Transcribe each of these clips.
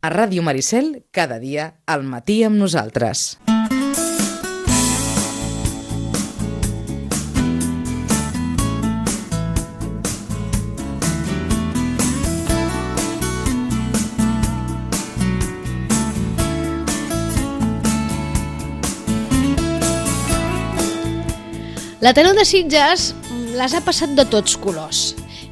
A Ràdio Maricel, cada dia, al matí amb nosaltres. L'Ateneu de Sitges les ha passat de tots colors.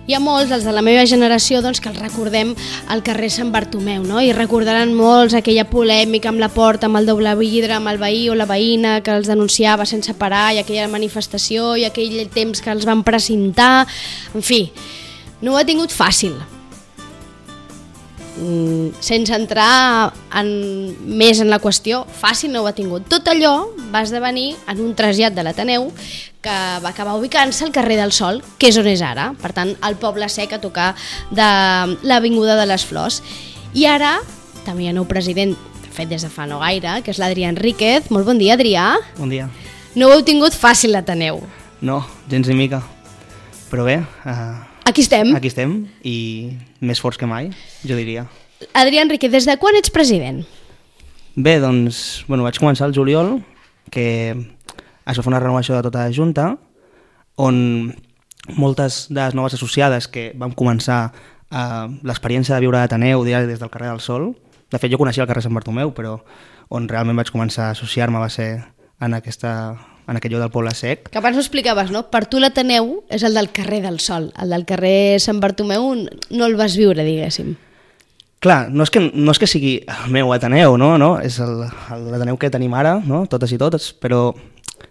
Hi ha molts, els de la meva generació, doncs, que els recordem al carrer Sant Bartomeu, no? I recordaran molts aquella polèmica amb la porta, amb el doble vidre, amb el veí o la veïna que els denunciava sense parar, i aquella manifestació i aquell temps que els van precintar. En fi, no ho ha tingut fàcil. Sense entrar més en la qüestió, fàcil no ho ha tingut. Tot allò va esdevenir en un trasllat de l'Ateneu que va acabar ubicant-se al carrer del Sol, que és on és ara, per tant, al Poble Sec, a tocar de l'Avinguda de les Flors. I ara també hi ha nou president, de fet des de fa no gaire, que és l'Adrià Enríquez. Molt bon dia, Adrià. Bon dia. No ho heu tingut fàcil, l'Ateneu. No, gens ni mica. Però bé, aquí estem. Aquí estem, i més forts que mai, jo diria. Adrià Enríquez, des de quan ets president? Bé, doncs, vaig començar el juliol, que es va fer una renovació de tota la Junta, on moltes de les noves associades que vam començar l'experiència de viure a l'Ateneu des del carrer del Sol, de fet jo coneixia el carrer Sant Bartomeu, però on realment vaig començar a associar-me va ser en aquest lloc del Poble Sec. Que abans ho explicaves, no? Per tu l'Ateneu és el del carrer del Sol, el del carrer Sant Bartomeu no el vas viure, diguéssim. Clar, no és que sigui el meu Ateneu, no? És l'Ateneu que tenim ara, no? Totes i totes, però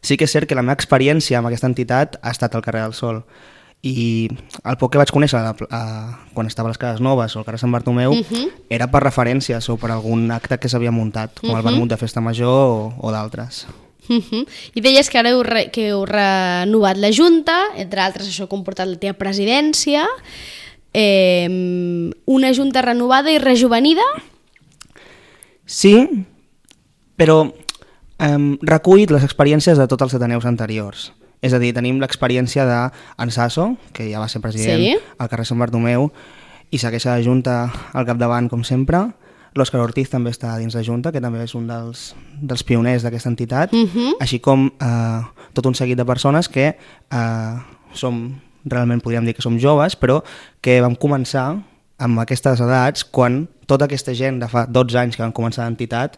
sí que és cert que la meva experiència amb aquesta entitat ha estat al carrer del Sol. I el poc que vaig conèixer quan estava a les Cases Noves o al carrer Sant Bartomeu era per referències o per algun acte que s'havia muntat, com el vermut de Festa Major o d'altres. I deies que ara heu renovat la Junta, entre altres això ha comportat la teva presidència, una Junta renovada i rejuvenida? Sí, però recull les experiències de tots els Ateneus anteriors. És a dir, tenim l'experiència d'en Sasso, que ja va ser president al carrer Sant Bartomeu, i segueix a la Junta al capdavant, com sempre. L'Òscar Ortiz també està dins la Junta, que també és un dels pioners d'aquesta entitat, així com tot un seguit de persones que realment podríem dir que som joves, però que vam començar amb aquestes edats quan tota aquesta gent de fa 12 anys que van començar l'entitat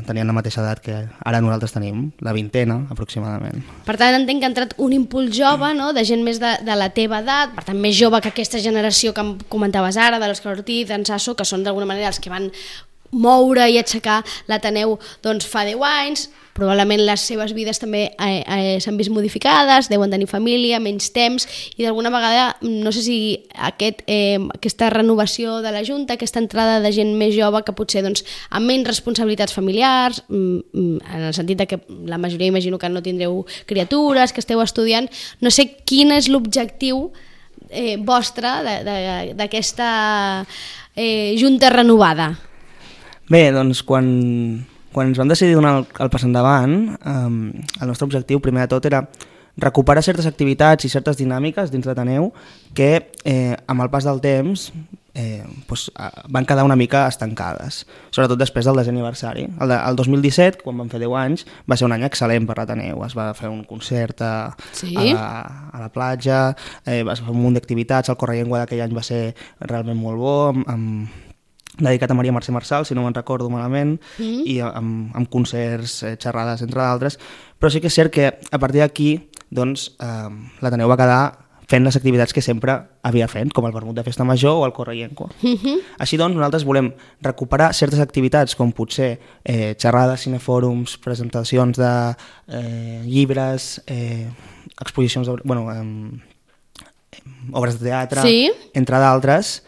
tenien la mateixa edat que ara nosaltres tenim, la vintena aproximadament. Per tant, entenc que ha entrat un impuls jove, no? De gent més de la teva edat, per tant, més jove que aquesta generació que em comentaves ara, de l'Òscar Ortiz, d'en Sasso, que són d'alguna manera els que van moure i aixecar l'Ateneu doncs, fa 10 anys. Probablement les seves vides també s'han vist modificades, deuen tenir família, menys temps, i d'alguna vegada, no sé si aquesta renovació de la Junta, aquesta entrada de gent més jove que potser doncs, amb menys responsabilitats familiars, en el sentit que la majoria imagino que no tindreu criatures, que esteu estudiant, no sé quin és l'objectiu vostre d'aquesta Junta renovada. Bé, doncs quan ens vam decidir donar el pas endavant, el nostre objectiu primer de tot era recuperar certes activitats i certes dinàmiques dins l'Ateneu que amb el pas del temps van quedar una mica estancades, sobretot després del 10è aniversari. El 2017, quan vam fer 10 anys, va ser un any excel·lent per l'Ateneu. Es va fer un concert a la platja, es va fer un munt d'activitats, el Correllengua d'aquell any va ser realment molt bo, dedicat a Maria Mercè Marçal, si no me'n recordo malament, i amb concerts, xerrades, entre d'altres. Però sí que és cert que a partir d'aquí doncs, l'Ateneu va quedar fent les activitats que sempre havia fet, com el vermut de Festa Major o el Correllengua. Així doncs, nosaltres volem recuperar certes activitats, com potser xerrades, cinefòrums, presentacions de llibres, exposicions, obres de teatre, entre d'altres,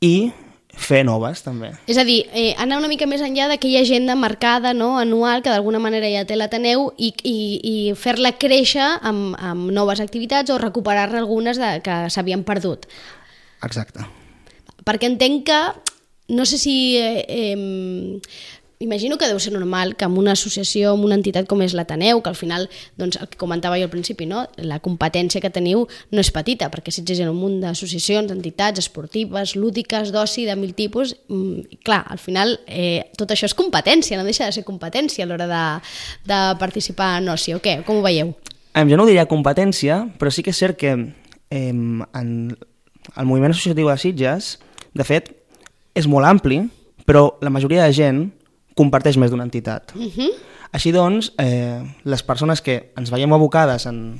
i fer noves, també. És a dir, anar una mica més enllà d'aquella agenda marcada, no, anual, que d'alguna manera ja té l'Ateneu, i fer-la créixer amb noves activitats o recuperar-ne algunes que s'havien perdut. Exacte. Perquè entenc que, no sé si imagino que deu ser normal que en una associació, en una entitat com és l'Ateneu, que al final, doncs, el que comentava jo al principi, no? La competència que teniu no és petita, perquè Sitges hi ha un munt d'associacions, entitats esportives, lúdiques, d'oci, de mil tipus, clar, al final tot això és competència, no deixa de ser competència a l'hora de participar en oci, o què? Com ho veieu? Jo no ho diria competència, però sí que és cert que en el moviment associatiu de Sitges, de fet, és molt ampli, però la majoria de gent comparteix més d'una entitat. Així doncs, les persones que ens veiem abocades en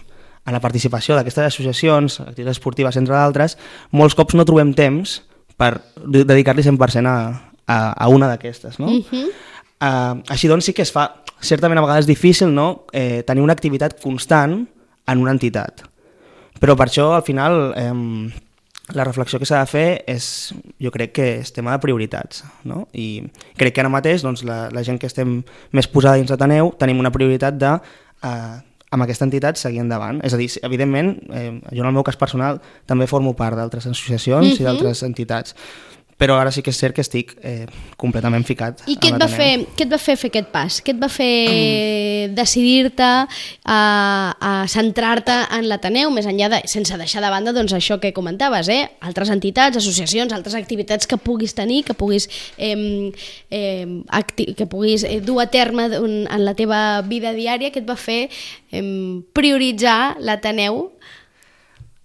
la participació d'aquestes associacions, activitats esportives, entre d'altres, molts cops no trobem temps per dedicar-li 100% a una d'aquestes. No? Així doncs, sí que es fa certament a vegades difícil, no? Tenir una activitat constant en una entitat. Però per això, al final, la reflexió que s'ha de fer és, jo crec que és tema de prioritats, no? I crec que ara mateix doncs, la gent que estem més posada dins l'Ateneu tenim una prioritat de, amb aquesta entitat, seguir endavant. És a dir, evidentment, jo en el meu cas personal també formo part d'altres associacions i d'altres entitats, però ara sí que és cert que estic completament ficat a l'Ateneu. I què et va fer aquest pas? Què et va fer decidir-te a centrar-te en l'Ateneu, més enllà sense deixar de banda doncs, això que comentaves, altres entitats, associacions, altres activitats que puguis tenir, que puguis dur a terme en la teva vida diària, que et va fer prioritzar l'Ateneu?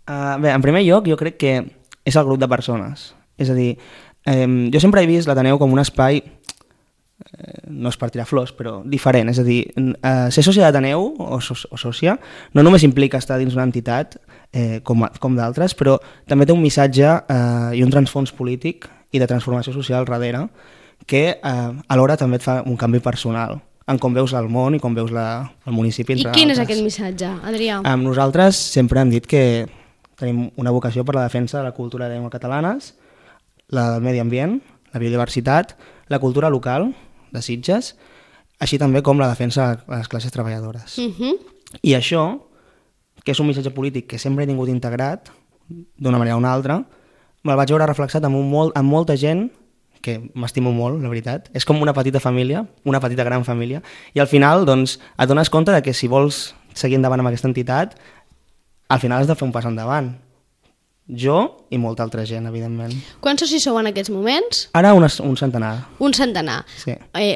Bé, en primer lloc, jo crec que és el grup de persones. És a dir, jo sempre he vist l'Ateneu com un espai, no és per tirar flors, però diferent. És a dir, ser sòcia d'Ateneu o sòcia no només implica estar dins una entitat com d'altres, però també té un missatge i un transfons polític i de transformació social darrere que alhora també et fa un canvi personal en com veus el món i com veus el municipi. I quin és aquest missatge, Adrià? Nosaltres sempre hem dit que tenim una vocació per la defensa de la cultura de llengua catalanes, la del medi ambient, la biodiversitat, la cultura local de Sitges, així també com la defensa de les classes treballadores. I això, que és un missatge polític que sempre he tingut integrat, d'una manera o una altra, me'l vaig veure reflexat amb molta gent que m'estimo molt, la veritat. És com una petita família, una petita gran família, i al final doncs, et dones compte de que si vols seguir endavant amb aquesta entitat, al final has de fer un pas endavant. Jo i molta altra gent, evidentment. Quants socis sou en aquests moments? Ara un centenar. Un centenar. Sí.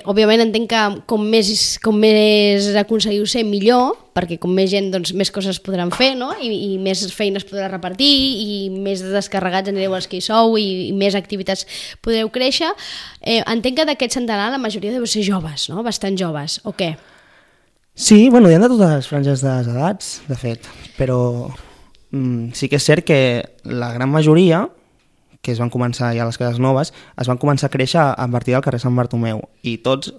Òbviament entenc que com més aconseguiu ser, millor, perquè com més gent, doncs, més coses podran fer, no? I més feines podrà repartir, i més descarregats anireu els que hi sou, i més activitats podreu créixer. Entenc que d'aquest centenar la majoria deu ser joves, no? Bastant joves, o què? Sí, bueno, hi ha de totes les franges de les edats, de fet, però sí que és cert que la gran majoria, que es van començar ja a les cases noves, es van començar a créixer a partir del carrer Sant Bartomeu, i tots,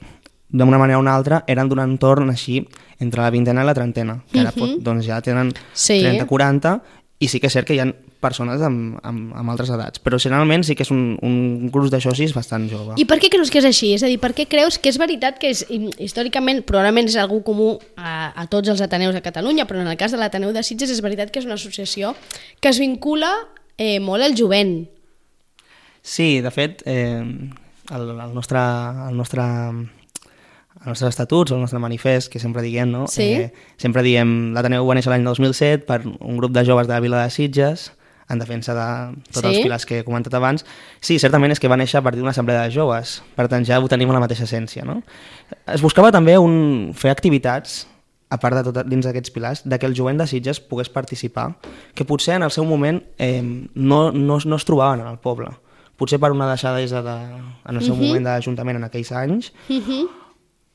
d'una manera o una altra, eren d'un entorn així entre la vintena i la trentena, que ara doncs ja tenen 30-40, i sí que és cert que hi ha persones amb altres edats, però generalment sí que és un grup de socis bastant jove. I per què creus que és així? És a dir, per què creus que és veritat que històricament probablement és algú comú a tots els Ateneus de Catalunya, però en el cas de l'Ateneu de Sitges és veritat que és una associació que es vincula molt al jovent? Sí, de fet, el nostre estatuts, el nostre manifest, que sempre diguem, no? Sí. Sempre diem l'Ateneu va néixer l'any 2007 per un grup de joves de la vila de Sitges, en defensa de tots els pilars que he comentat abans. Sí, certament és que va néixer a partir d'una assemblea de joves, per tant ja ho tenim a la mateixa essència, no? Es buscava també fer activitats, a part de tot dins d'aquests pilars, que el jovent de Sitges pogués participar, que potser en el seu moment no es trobaven en el poble. Potser per una deixadesa en el seu moment d'Ajuntament en aquells anys,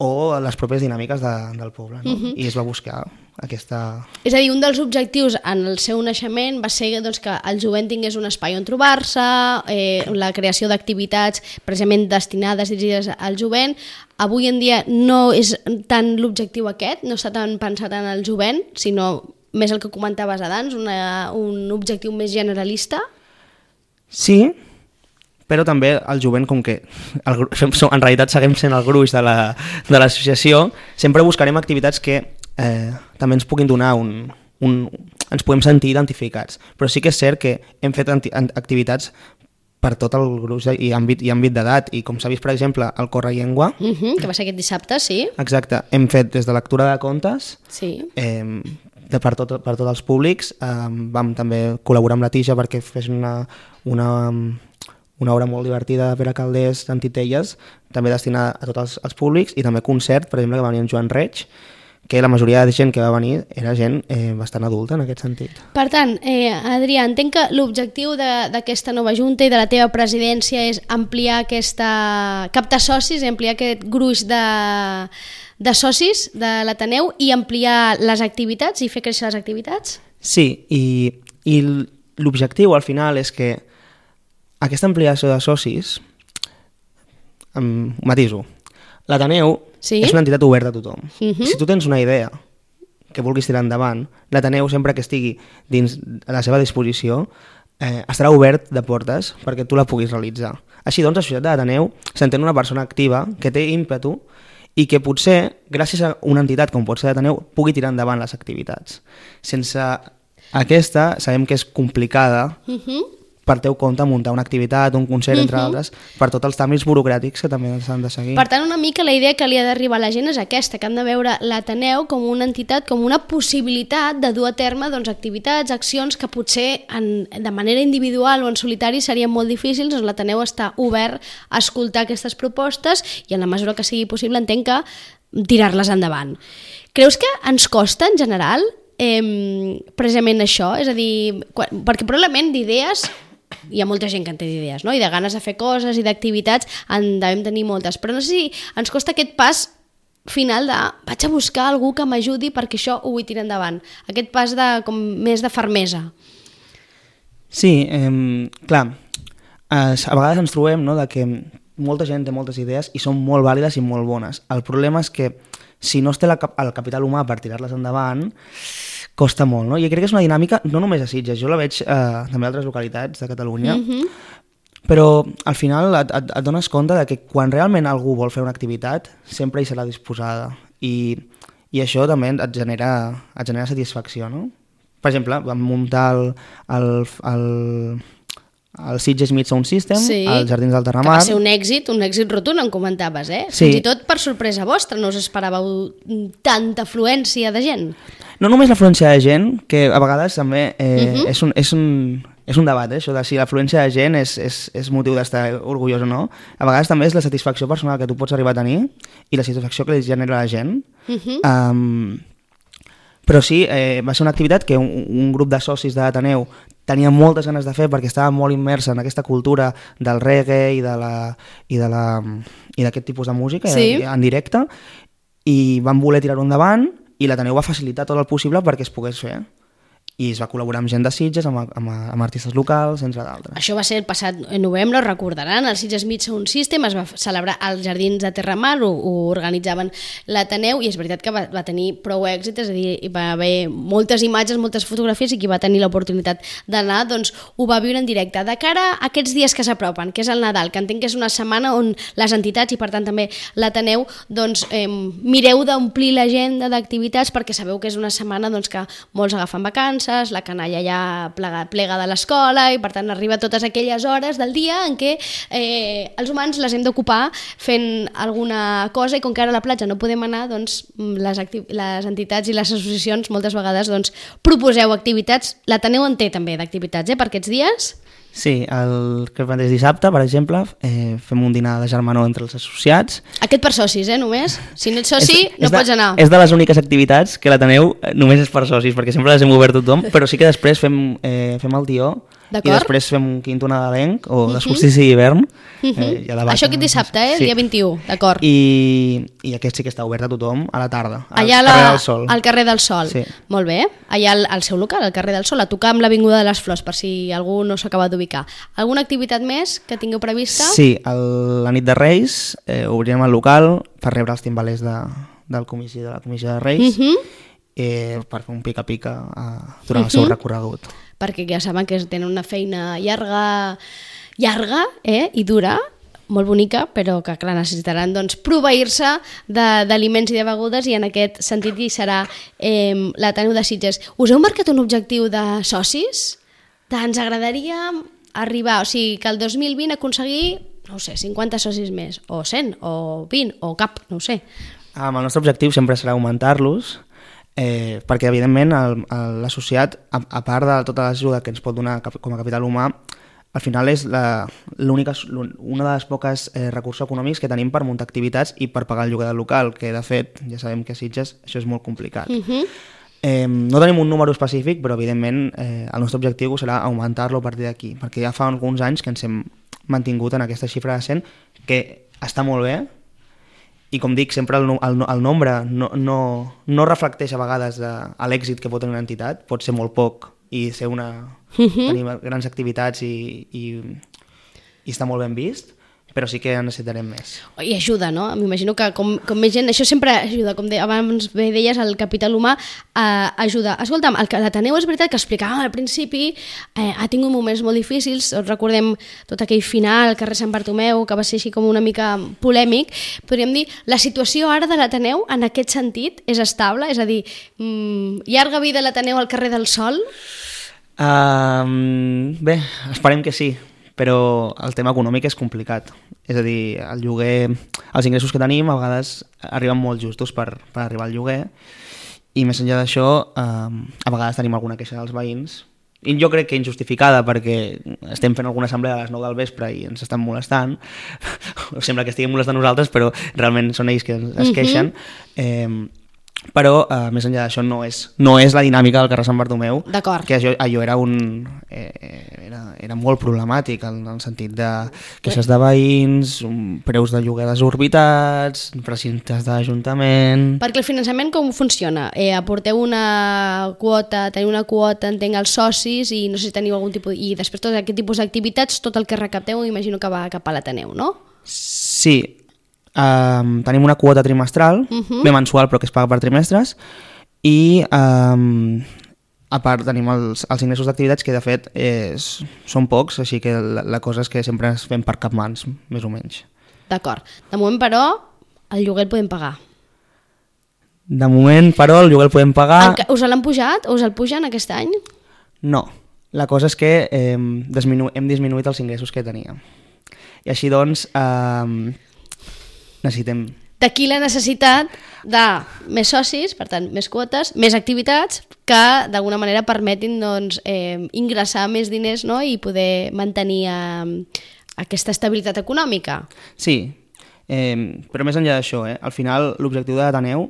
o les pròpies dinàmiques del poble, no? I es va buscar aquesta... És a dir, un dels objectius en el seu naixement va ser doncs, que el jovent tingués un espai on trobar-se, la creació d'activitats precisament destinades, dirigides al jovent. Avui en dia no és tant l'objectiu aquest, no està tan pensat en el jovent, sinó més el que comentaves abans, un objectiu més generalista? Sí, però també el jovent, com que en realitat seguim sent el gruix de l'associació, sempre buscarem activitats que també ens puguin donar ens puguem sentir identificats. Però sí que és cert que hem fet activitats per tot el gruix i àmbit d'edat. I com s'ha vist, per exemple, el Correllengua, que va ser aquest dissabte, sí. exacte, hem fet des de lectura de contes, Sí. per tots els públics. Vam també col·laborar amb la Tija perquè fes una obra molt divertida de Pere Calders en Titelles, també destinada a tots els públics, i també concert, per exemple, que va venir en Joan Reig, que la majoria de gent que va venir era gent bastant adulta en aquest sentit. Per tant, Adrià, entenc que l'objectiu d'aquesta nova junta i de la teva presidència és ampliar captar socis, ampliar aquest gruix de socis de l'Ateneu i ampliar les activitats i fer créixer les activitats? Sí, i l'objectiu al final és que aquesta ampliació de socis, matiso, l'Ateneu és una entitat oberta a tothom. Si tu tens una idea que vulguis tirar endavant, l'Ateneu, sempre que estigui dins a la seva disposició, estarà obert de portes perquè tu la puguis realitzar. Així doncs, la societat de l'Ateneu s'entén una persona activa que té ímpetu i que potser, gràcies a una entitat com pot ser l'Ateneu, pugui tirar endavant les activitats. Sense aquesta, sabem que és complicada per teu compte muntar una activitat, un concert, entre altres, per tots els tràmits burocràtics que també s'han de seguir. Per tant, una mica la idea que li ha d'arribar a la gent és aquesta, que han de veure l'Ateneu com una entitat, com una possibilitat de dur a terme activitats, accions que potser de manera individual o en solitari serien molt difícils. Doncs l'Ateneu està obert a escoltar aquestes propostes i en la mesura que sigui possible entenc que tirar-les endavant. Creus que ens costa en general precisament això? És a dir, perquè probablement d'idees hi ha molta gent que en té d'idees, no? I de ganes de fer coses i d'activitats en devem tenir moltes, però no sé si ens costa aquest pas final de vaig a buscar algú que m'ajudi perquè això ho vull tirar endavant, aquest pas com més de fermesa. Sí, clar, a vegades ens trobem, no, de que molta gent té moltes idees i són molt vàlides i molt bones. El problema és que si no es té el capital humà per tirar-les endavant, costa molt, no? I crec que és una dinàmica no només a Sitges, jo la veig també a altres localitats de Catalunya, però al final et dones compte de que quan realment algú vol fer una activitat sempre hi serà disposada i això també et genera satisfacció, no? Per exemple, vam muntar el Sitges Meet Sound System, als Jardins del Terramar. Que va ser un èxit rotund, em comentaves, Sí. Fins i tot per sorpresa vostra, no us esperàveu tanta afluència de gent. No només l'afluència de gent, que a vegades també és un debat, això de si l'afluència de gent és motiu d'estar orgullós o no. A vegades també és la satisfacció personal que tu pots arribar a tenir i la satisfacció que li genera a la gent. Però sí, va ser una activitat que un grup de socis de l'Ateneu tenia moltes ganes de fer perquè estava molt immersa en aquesta cultura del reggae i d'aquest tipus de música en directe, i van voler tirar-ho endavant i l'Ateneu va facilitar tot el possible perquè es pogués fer. I es va col·laborar amb gent de Sitges, amb artistes locals, entre d'altres. Això va ser el passat novembre, ho recordaran, el Sitges Meet Sound System es va celebrar als Jardins de Terramar, ho organitzaven l'Ateneu, i és veritat que va tenir prou èxit, és a dir, hi va haver moltes imatges, moltes fotografies, i qui va tenir l'oportunitat d'anar, doncs ho va viure en directe. De cara a aquests dies que s'apropen, que és el Nadal, que entenc que és una setmana on les entitats, i per tant també l'Ateneu, doncs mireu d'omplir l'agenda d'activitats, perquè sabeu que és una setmana doncs, que molts agafen vacances, la canalla ja plega de l'escola i per tant arriba a totes aquelles hores del dia en què els humans les hem d'ocupar fent alguna cosa, i com que ara a la platja no podem anar, doncs les entitats i les associacions moltes vegades doncs, proposeu activitats. L'Ateneu en té també d'activitats per aquests dies? Sí, el que és dissabte, per exemple, fem un dinar de germanor entre els associats. Aquest per socis, només? Si no ets soci, no pots anar. És de les úniques activitats que l'Ateneu només és per socis, perquè sempre les hem obert a tothom, però sí que després fem el tió, i després fem un quinto nadalenc, o de solstici d'hivern. Això aquest dissabte, el dia 21, d'acord. I aquest sí que està obert a tothom a la tarda, al allà carrer del Sol. Al carrer del Sol, sí. Molt bé. Allà al seu local, al carrer del Sol, a tocar amb l'Avinguda de les Flors, per si algú no s'acaba d'ubicar. Alguna activitat més que tingueu prevista? Sí, la nit de Reis obrirem el local per rebre els timbalers de la comissió de Reis, per fer un pica-pica durant el seu recorregut. Perquè ja saben que tenen una feina llarga i dura, molt bonica, però que clar, necessitaran doncs, proveir-se d'aliments i de begudes, i en aquest sentit hi serà l'Ateneu de Sitges. Us heu marcat un objectiu de socis? Ens agradaria arribar, o sigui, que el 2020 aconseguir, no ho sé, 50 socis més, o 100, o 20, o cap, no ho sé. El nostre objectiu sempre serà augmentar-los, perquè evidentment l'associat, a part de tota l'ajuda que ens pot donar com a capital humà, al final és una de les poques recursos econòmics que tenim per muntar activitats i per pagar el lloguer del local, que de fet ja sabem que a Sitges això és molt complicat. No tenim un número específic, però evidentment el nostre objectiu serà augmentar-lo a partir d'aquí, perquè ja fa alguns anys que ens hem mantingut en aquesta xifra de 100, que està molt bé, i com dic, sempre el nombre no reflecteix a vegades l'èxit que pot tenir una entitat, pot ser molt poc i ser tenir grans activitats i està molt ben vist, però sí que en necessitarem més. I ajuda, no? M'imagino que com més gent, això sempre ajuda, com abans deies, el capital humà ajuda. Escolta'm, l'Ateneu és veritat que explicàvem al principi, ha tingut moments molt difícils, recordem tot aquell final al carrer Sant Bartomeu, que va ser així com una mica polèmic, podríem dir, la situació ara de l'Ateneu en aquest sentit és estable? És a dir, llarga vida l'Ateneu al carrer del Sol? Bé, esperem que sí, però el tema econòmic és complicat. És a dir, el lloguer, els ingressos que tenim a vegades arriben molt justos per arribar al lloguer, i més enllà d'això, a vegades tenim alguna queixa dels veïns, i jo crec que injustificada, perquè estem fent alguna assemblea a les 9 del vespre i ens estan molestant, sembla que estiguem molestant nosaltres, però realment són ells que es queixen. Però més enllà d'això no és la dinàmica del carrer Sant Bartomeu, que allò era molt problemàtic en el sentit de queixes de veïns, preus de lloguer desorbitats, precintes d'Ajuntament... Perquè el finançament com funciona? Aporteu teniu una quota, entenc, als socis, i no sé si teniu algun tipus... I després tot aquest tipus d'activitats, tot el que recapteu imagino que va cap a l'Ateneu, no? Sí. Tenim una quota trimestral, bé mensual però que es paga per trimestres, i a part tenim els ingressos d'activitats que de fet són pocs, així que la cosa és que sempre es fem per capmans, més o menys. D'acord. De moment, però, el lloguer el podem pagar. De moment, però, el lloguer el podem pagar... Us l'han pujat o us el pugen aquest any? No. La cosa és que hem disminuït els ingressos que teníem. I així doncs... necessitem... D'aquí la necessitat de més socis, per tant, més quotes, més activitats que d'alguna manera permetin ingressar més diners, no? I poder mantenir aquesta estabilitat econòmica. Sí, però més enllà d'això, al final l'objectiu de l'Ateneu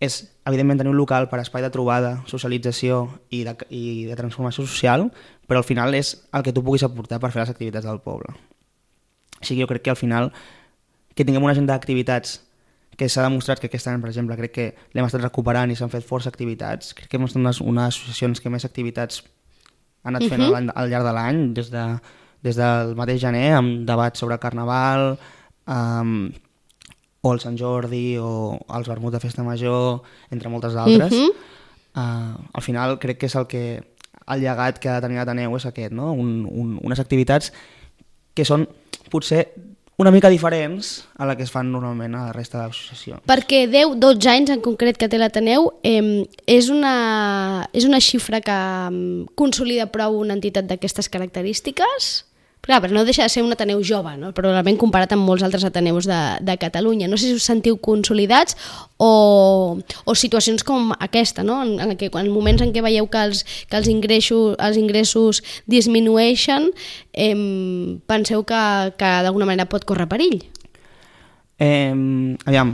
és, evidentment, tenir un local per espai de trobada, socialització i de transformació social, però al final és el que tu puguis aportar per fer les activitats del poble. Així que jo crec que al final que tinguem una agenda d'activitats que s'ha demostrat que aquest any, per exemple, crec que l'hem estat recuperant i s'han fet força activitats. Crec que hem estat unes associacions que més activitats han anat fent al llarg de l'any, des del mateix gener, amb debats sobre Carnaval, o el Sant Jordi, o els vermuts de Festa Major, entre moltes d'altres. Al final crec que és el llegat que ha de tenir l'Ateneu és aquest, no? Unes activitats que són potser una mica diferents a la que es fan normalment a la resta de l'associació. Perquè 10-12 anys en concret que té l'Ateneu és una xifra que consolida prou una entitat d'aquestes característiques? Clar, però no deixa de ser un Ateneu jove, no? Probablement comparat amb molts altres Ateneus de Catalunya. No sé si us sentiu consolidats o situacions com aquesta, no? En moments en què veieu que els ingressos disminueixen, penseu que d'alguna manera pot córrer perill? Aviam,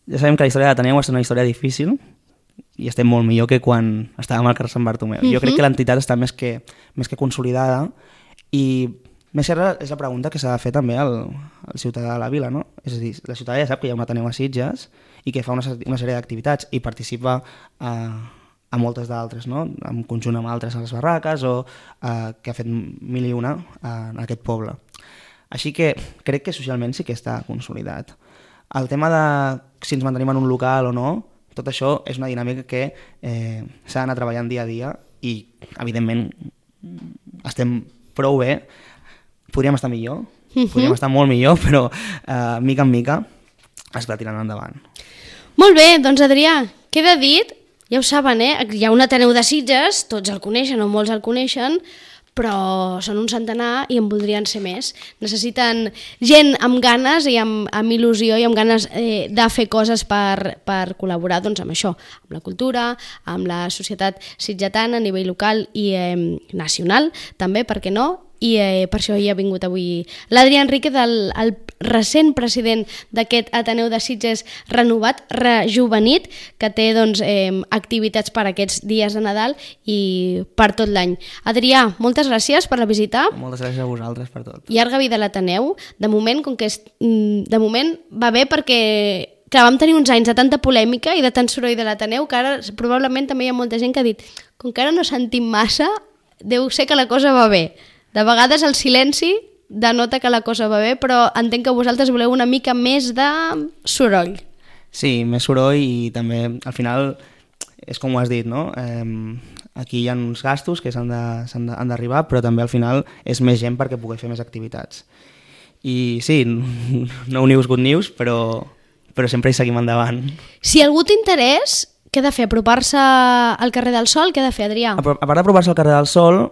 ja sabem que la història de l'Ateneu és una història difícil i estem molt millor que quan estàvem al carrer Sant Bartomeu. Jo crec que l'entitat està més que consolidada i més serra és la pregunta que s'ha de fer també al ciutadà de la vila, no? És a dir, la ciutadà ja sap que hi ha un Ateneu a Sitges i que fa una sèrie d'activitats i participa a moltes d'altres, no? En conjunt amb altres a les barraques o que ha fet 1000 i una en aquest poble. Així que crec que socialment sí que està consolidat. El tema de si ens mantenim en un local o no, tot això és una dinàmica que s'ha d'anar treballant dia a dia i, evidentment, estem prou bé. Podríem estar millor, podríem estar molt millor, però mica en mica es va tirant endavant. Molt bé, doncs Adrià, queda dit, ja ho saben, hi ha un Ateneu de Sitges, tots el coneixen o molts el coneixen, però són un centenar i en voldrien ser més. Necessiten gent amb ganes i amb il·lusió i amb ganes de fer coses per col·laborar doncs, amb això, amb la cultura, amb la societat sitgetana a nivell local i nacional, també, per què no? I per això hi ha vingut avui l'Adrià Enríquez, el recent president d'aquest Ateneu de Sitges renovat, rejuvenit, que té doncs, activitats per aquests dies de Nadal i per tot l'any. Adrià, moltes gràcies per la visita. Moltes gràcies a vosaltres per tot. Llarga vida a l'Ateneu. De moment, de moment va bé perquè clar, vam tenir uns anys de tanta polèmica i de tant soroll de l'Ateneu que ara probablement també hi ha molta gent que ha dit com que ara no sentim massa, deu ser que la cosa va bé. De vegades el silenci denota que la cosa va bé, però entenc que vosaltres voleu una mica més de soroll. Sí, més soroll i també, al final, és com ho has dit, no? Aquí hi ha uns gastos que han d'arribar, però també al final és més gent perquè pugui fer més activitats. I sí, no news, good news, però sempre hi seguim endavant. Si algú t'interès, què ha de fer? Apropar-se al carrer del Sol? Què ha de fer, Adrià? A part d'apropar-se al carrer del Sol,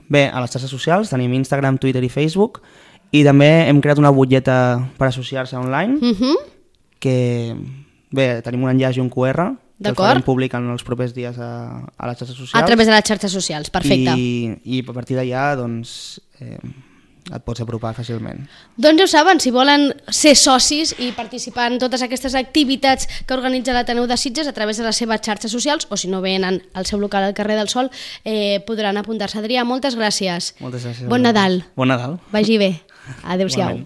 bé, a les xarxes socials tenim Instagram, Twitter i Facebook i també hem creat una butlleta per associar-se online que, bé, tenim un enllaç i un QR que el farem públic en els propers dies a les xarxes socials. A través de les xarxes socials, perfecte. I a partir d'allà, doncs, et pots apropar fàcilment. Doncs ja ho saben, si volen ser socis i participar en totes aquestes activitats que organitza l'Ateneu de Sitges a través de les seves xarxes socials, o si no venen al seu local al carrer del Sol, podran apuntar-se. Adrià, moltes gràcies. Moltes gràcies. Bon Nadal. Bon Nadal. Vagi bé. Adéu-siau.